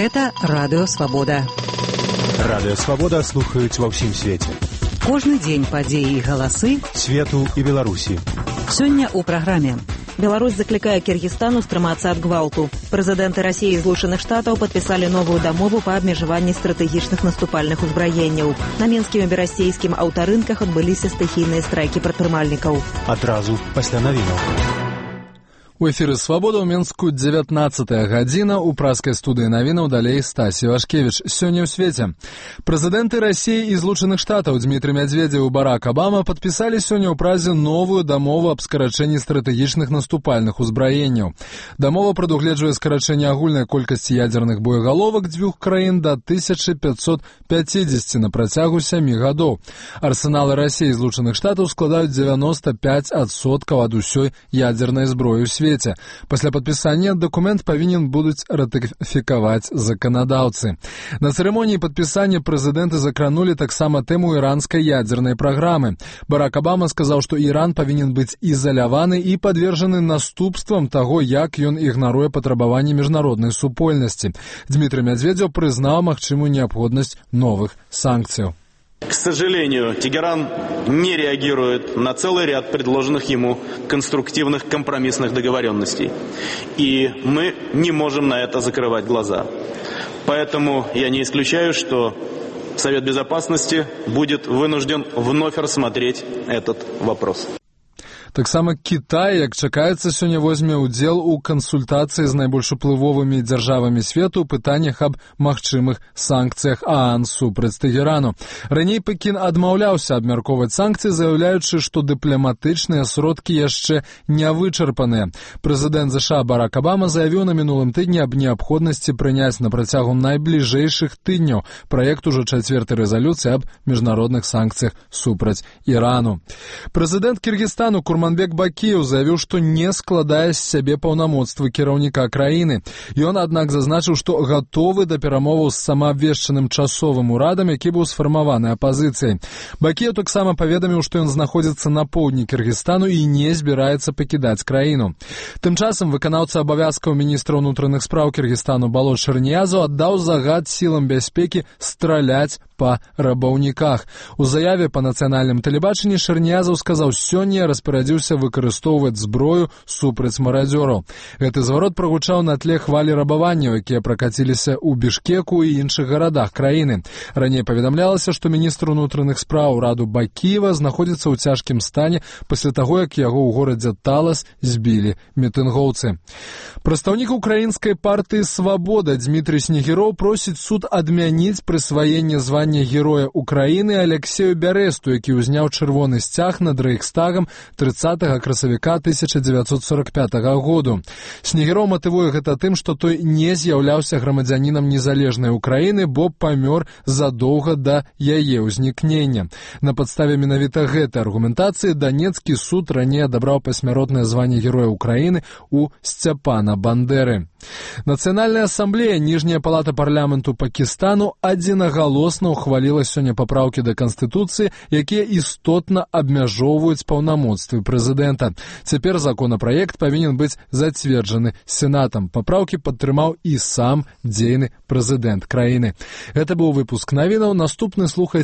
Гэта Радыё Свабода. Радыё Свабода слухаюць ва ўсім свеце. Кожны дзень падзеі і галасы свету і Беларусі. Сёння ў праграме. Беларусь закликае Киргизстану стрымацца ад гвалту. Прэзідэнты России и Злучаных Штатаў подписали новую дамову по абмежаванні стратэгічных наступальных узбраенняў. На мінскім і берасцейскім аўтарынках адбыліся стыхійныя страйкі прадпрымальнікаў. Адразу пасля навінаў. У эфіры «Свабода» ў Мінску 19-я гадзіна. У праскай студыі навінаў далей Стасі Вашкевіч. Сёння ў свеце. Прэзідэнты России і Злучаных Штатаў Дмітрый Медведзеў і Барак Обама падпісалі сёння ў Празе новую дамову аб скарачэнні стратэгічных наступальных узбраенняў. Дамова прадугледжвае скарачэнне агульнай колькасці ядзерных боегаловак дзвюх краін да 1550 на працягу 7 гадоў. Арсеналы России і Злучаных Штатаў складаюць 95% ад усёй ядзернай зброі ў свеце. Пасля падпісання дакумент павінен будуць ратыфікаваць заканадаўцы. На цырымоніі падпісання прэзідэнты закранулі таксама тэму іранскай ядзернай праграмы. Барак Обама сказаў, што Іран павінен быць ізаляваны і падвержаны наступствам таго, як ён ігнаруе патрабаванні міжнароднай супольнасці. Дмітрый Медведзеў прызнаў магчымую неабходнасць новых санкцыяў. К сожалению, Тегеран не реагирует на целый ряд предложенных ему конструктивных компромиссных договоренностей. И мы не можем на это закрывать глаза. Поэтому я не исключаю, что Совет Безопасности будет вынужден вновь рассмотреть этот вопрос. Таксама Кітай, як чакаецца, сёння возьме ўдзел у кансультацыі з найбольш уплывовымі дзяржавамі свету ў пытаннях аб магчымых санкцыях ААН супраць Тэгерану. Раней Пекін адмаўляўся абмяркоўваць санкцыі, заяўляючы, што дыпламатычныя сродкі яшчэ не вычарпаныя. Прэзідэнт ЗША Барак Обама заявіў на мінулым тыдні аб неабходнасці прыняць на працягу найбліжэйшых тыдняў праект ужо 4-й рэзалюцыі аб міжнародных санкцыях супраць Ірану. Прэзідэнт Кіргізстану Курманбек Бакіеў заявіў, што не складае з сябе паўнамоцтвы кіраўніка краіны. Ён, аднак, зазначыў, што гатовы да перамоваў з самаабвешчаным часовым урадам, які быў сфармаваны апазіцыяй. Бакіеў таксама паведаміў, што ён знаходзіцца на поўдні Кіргізстану і не збіраецца пакідаць краіну. Тым часам выканаўца абавязкаў міністра ўнутраных спраў Кіргізстану Балот Шэрніязаў аддаў загад сілам бяспекі страляць па рабаўніках. У заяве па нацыянальным тэлебачанні Шэрніязаў сказаў, сёння распарадзіўся выкарыстоўваць зброю супраць марадзёраў. Гэты зварот прагучаў на тле хвалі рабаванняў, якія пракаціліся ў Бішкеку і іншых гарадах краіны. Раней паведамлялася, што міністр унутраных спраў Раду Бакіева знаходзіцца ў цяжкім стане пасля таго, як яго ў горадзе Талас збілі мітынгоўцы. Прадстаўнік украінскай партыі «Свабода» Дмітрый Снегіроў просіць суд адмяніць прысваенне звання Героя Украіны Алексею Бярэсту, які ўзняў чырвоны сцяг над Рэйхстагам 30 красавіка 1945 году. Снегіроў матывуе гэта тым, што той не з'яўляўся грамадзянінам незалежнай Украіны, бо памёр задоўга да яе ўзнікнення. На падставе менавіта гэтай аргументацыі Данецкі суд раней адабраў пасмяротнае званне Героя Украіны у Сцяпана Бандеры. Нацыянальная асамблея, ніжняя палата парламенту Пакістану адзінагалосна ухваліла сёння папраўкі да Канстытуцыі, якія істотна абмяжоўваюць паўнамоцтвы прэзідэнта. Цяпер законапраект павінен быць зацверджаны Сенатам. Папраўкі падтрымаў і сам дзейны прэзідэнт краіны. Гэта быў выпуск навінаў. Наступны слухайце